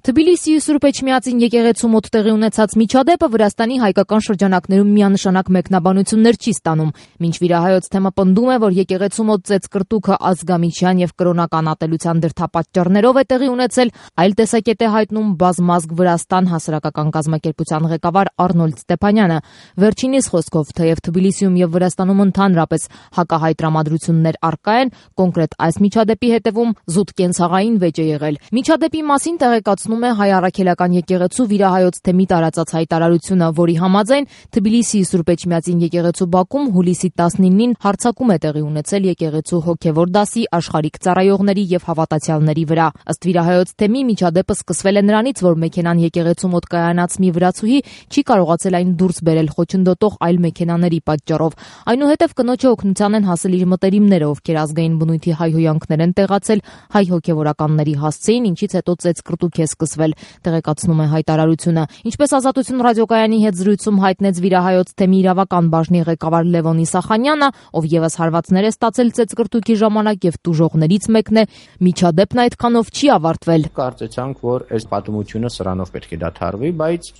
Թբիլիսիի Սուրբ Էջմիածին եկեղեցու մոտ տեղի ունեցած միջադեպը Վրաստանի հայկական շրջանակներում միանշանակ մեկնաբանություններ չի ստանում։ Մինչ վիրահայոց թեմը պնդում է, որ եկեղեցու մոտ ծեծկրտուքը ազգամիչյան եւ կրոնական ատելության դրդապատճառներով է տեղի ունեցել, այլ տեսակետ է հայտնում Բազմազգ Վրաստան հասարակական կազմակերպության ղեկավար Արնոլդ Ստեփանյանը։ Վերջինիս խոսքով, թեև Թբիլիսիում եւ Վրաստանում ընդհանրապես հակահայ տրամադրություններ առկա են, կոնկրետ այս միջադեպի հետևում զուտ կենցաղային վեճ է եղել։ Միջադեպի մասին տեղեկացնում է Հայ առաքելական եկեղեցու վիրահայոց թեմի տարածած հայտարարությունը, որի համաձայն Թբիլիսիի Սուրբ Էջմիածին եկեղեցու բակում հուլիսի 19-ին հարձակում է տեղի ունեցել եկեղեցու հոգևոր դասի, աշխարհիկ ծառայողների եւ հավատացյալների վրա։ Ըստ վիրահայոց թեմի միջադեպը սկսվել է նրանից, որ մեքենան եկեղեցու մոտ կայանած մի վրացուհի չի կարողացել այն դուրս բերել խոչընդոտող այլ մեքենաների պատճառով։ Այնուհետև կնոջը օգնության են հասել իր մտերիմները, ովքեր ազգային բնույթի հայհոյանքներ են տեղացել հայ հոգևորականների հասցեին, ինչից հետո ծեծկրտուք է սկսվել, տեղեկացնում է հայտարարությունը։ Ինչպես Ազատություն ռադիոկայանի հետ զրույցում հայտնեց վիրահայոց թեմի իրավական բաժնի ղեկավար Լևոն Իսախանյանը, ով եւս հարվածներ է ստացել ծեծկրտուքի ժամանակ եւ տուժողներից մեկն է, միջադեպն այդքանով չի ավարտվել։ Կարծեցանք, որ այս պատմությունը սրանով պետք է դադարվի, բայց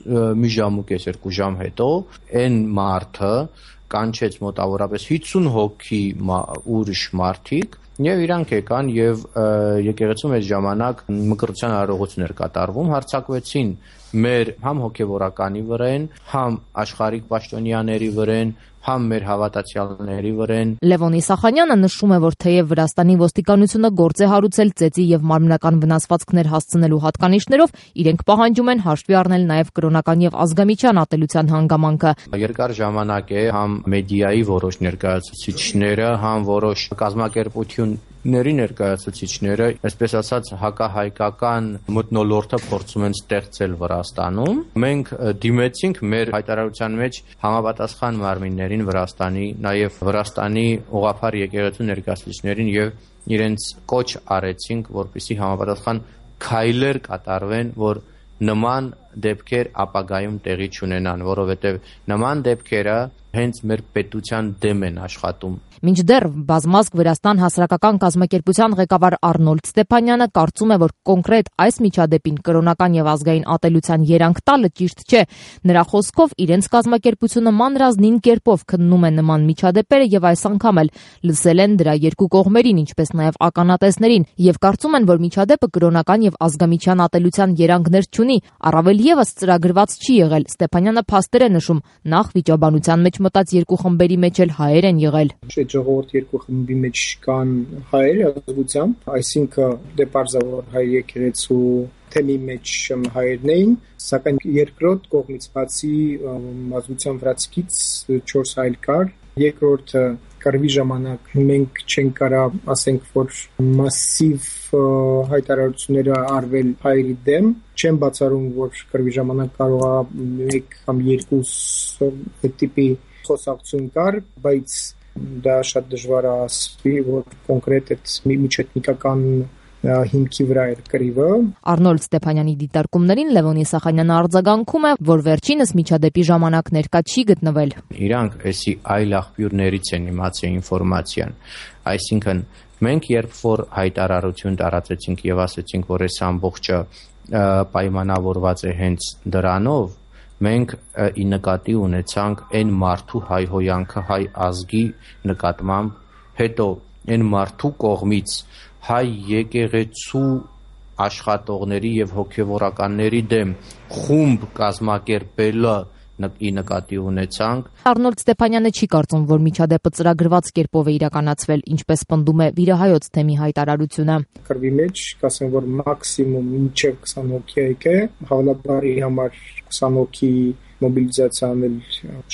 մի ժամ ու կես, 2 ժամ հետո այն մարդը կանչեց մոտավորապես 50 հոգի ուրիշ մարդիկ եւ իրանք եկան եւ եկեղեցում այս ժամանակ մկրտության արարողություններ կատարվում, հարձակվեցին մեր համ հոգևորականի վրան, համ աշխարհիկ պաշտոնյաների վրան, համ մեր հավատացյալների վրան։ Լևոն Իսախանյանը նշում է, որ թեև Վրաստանի ոստիկանությունը գործ է հարուցել ծեծի եւ մարմնական վնասվածքներ հասցնելու հատկանիշներով, իրենք պահանջում են հաշվի առնել նաեւ կրոնական եւ ազգամիչյան ատելության հանգամանքը։ Երկար ժամանակ է համ մեդիայի որոշ ներկայացուցիչները, համ որոշ կազմակերպությունների ներկայացուցիչները, այսպես ասած, հակահայկական մթնոլորտը փորձում են ստեղծել Վրաստանում։ Մենք դիմեցինք մեր հայտարարության մեջ համապատասխան մարմիններին Վրաստանի, նաև Վրաստանի ուղղափառ եկեղեցու ներկայացուցիչներին եւ իրենց կոչ արեցինք, որպեսզի համապատասխան քայլեր կատարվեն, որ նման դեպքեր ապագայում տեղի չունենան, որովհետև նման դեպքերը հենց մեր պետության դեմ են աշխատում։ Մինչդեռ Բազմազգ Վրաստան հասարակական կազմակերպության ղեկավար Արնոլդ Ստեփանյանը կարծում է, որ կոնկրետ այս միջադեպին կրոնական եւ ազգային ատելության երանգ տալը ճիշտ չէ։ Նրա խոսքով իրենց կազմակերպությունը մանրազնին կերպով քննում է նման միջադեպերը եւ այս անգամ էլ լսել են դրա երկու կողմերին, ինչպես նաեւ ականատեսներին, եւ կարծում են, որ միջադեպը կրոնական եւ ազգամիչյան ատելության երանգներ չունի, առավել եւս ծրագրված չի եղել։ Ստեփանյանը փաստեր է նշում, նախ վիճաբանության մեջ մտած երկու խմբերի մեջ էլ հայեր են եղել։ Ժողովուրդ երկու խմբի մեջ կան հայեր ազգությամբ, այսինքն դե պարզավոր հայ եկեղեցու թեմի մեջ հայերն էին, սակայն երկրորդ կողմից բացի ազգության վրացքից 4 հայր կար, երկրորդը կռվի ժամանակ մենք չենք կարող ասենք, որ մասիվ հայտարարությունները արվել հայերի դեմ, չեմ բացառում, որ կռվի ժամանակ կարող է 1 կամ 2 տիպի խոսակցություն կար, բայց դա շատ դժվար է ասվի, որ կոնկրետ այդ միջեթնիկական հիմքի վրա էր կռիվը։ Արնոլդ Ստեփանյանի դիտարկումներին Լևոն Իսախանյանը արձագանքում է, որ վերջինս միջադեպի ժամանակ ներկա չի գտնվել։ Իրանք էսի այլ աղբյուրներից են իմացել ինֆորմացիան, այսինքն մենք երբ որ հայտարարություն տարածեցինք եւ ասեցինք, որ այս ամբողջը պայմանավորված է հենց դրանով, մենք ի նկատի ունեցանք այն մարդու հայհոյանքը հայ ազգի նկատմամբ, հետո այն մարդու կողմից հայ եկեղեցու աշխատողների եւ հոգեվորականների դեմ խումբ կազմակերպելը ի նկատի ունեցանք։ Արնոլդ Ստեփանյանը չի կարծում, որ միջադեպը ծրագրված կերպով է իրականացվել, ինչպես պնդում է վիրահայոց թեմի հայտարարությունը։ Կռվի մեջ կասեմ, որ մաքսիմում մինչև 20 հոգի եկե, հավանաբարի համար 20 հոգի մոբիլիզացիան էլ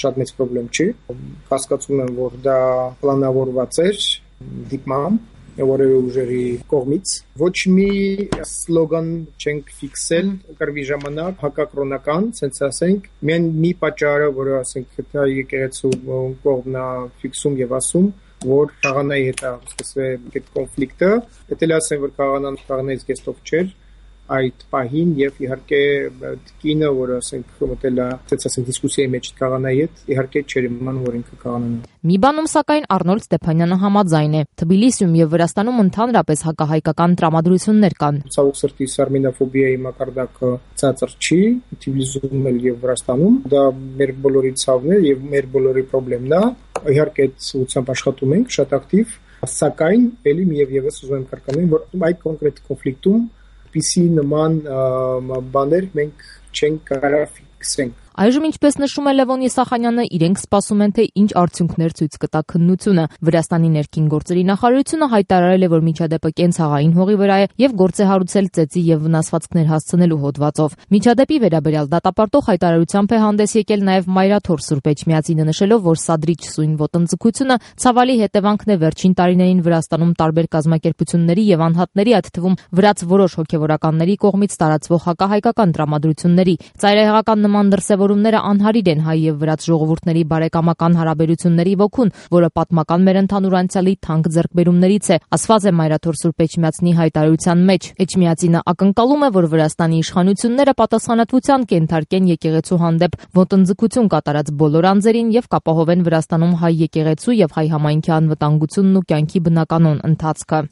շատ մեծ խնդրեմ չի։ Հասկացում եմ, որ դա պլանավորված էր դիպմամբ որևէ ուժերի կողմից։ Ոչ մի սլոգան չենք ֆիքսել կռվի ժամանակ հակակրոնական, ասենք ասենք, միայն մի պատճառը, որը ասենք դա եկեղեցու կողմն է ֆիքսում եւ ասում, որ Խաղանայի հետ է սկսվել այդ կոնֆլիկտը, դա էլ ասեմ, որ Խաղանայից կեստով չէր, այդ պահին եւ իհարկե կինը, որը ասենք մտել է, ասենք դիսկուսիայի մեջ կաղանայի հետ, իհարկե չէր իմանալ, որ ինքը կաղանանա։ Մի բանում սակայն Արնոլդ Ստեփանյանը համաձայն է. Թբիլիսիում եւ Վրաստանում ընդհանրապես հակահայկական տրամադրություններ կան։ Ցավոք սրտի արմենոֆոբիայի մակարդակը ցածր չի, Թբիլիսիում էլ եւ Վրաստանում։ Դա մեր բոլորի ցավն է եւ մեր բոլորի խնդիրն է։ Իհարկե ցույցամբ աշխատում ենք շատ ակտիվ, սակայն ելի միևս ուզում եմ կրկնել, որ այդ կոնկրետ կոնֆլիկտում PC նման բաներ մենք չենք կարող ֆիքսենք։ Այժմ, ինչպես նշում է Լևոն Եսախանյանը, իրենք սպասում են, թե ինչ արդյունքներ ցույց կտա քննությունը։ Վրաստանի ներքին գործերի նախարարությունը հայտարարել է, որ միջադեպը կենցաղային հողի վրա է եւ գործ է հարուցել ծեծի եւ վնասվածքներ հասցնելու հոդվածով։ Միջադեպի վերաբերյալ դատապարտող հայտարարությամբ է հանդես եկել նաեւ Մայրաթոր Սուրբ Էջմիածինը, նշելով, որ սադրիչ սույն ոտնձգությունը ցավալի հետևանքն է վերջին տարիներին Վրաստանում տարբեր կազմակերպությունների եւ անհատների, այդ թվում վրաց որոշ հոգեվորականների կողմից տարածվող հակահայկական տրամադրությունների։ Ծայրահեղական նման դրսևորումները անհարիր են հայ եւ վրաց ժողովուրդների բարեկամական հարաբերությունների ոգուն, որը պատմական մեր ընդհանուր անցյալի թանկ ձեռքբերումներից է, ասված է Մայրաթոր Սուրբ Էջմիածնի հայտարարության մեջ։ Էջմիածինը ակնկալում է, որ Վրաստանի իշխանությունները պատասխանատվության կենթարկեն եկեղեցու հանդեպ ոտնձգություն կատարած բոլոր անձերին եւ կապահովեն Վրաստանում հայ եկեղեցու եւ հայ համայնքի անվտանգությունն ու կյանքի բնականոն ընթացքը։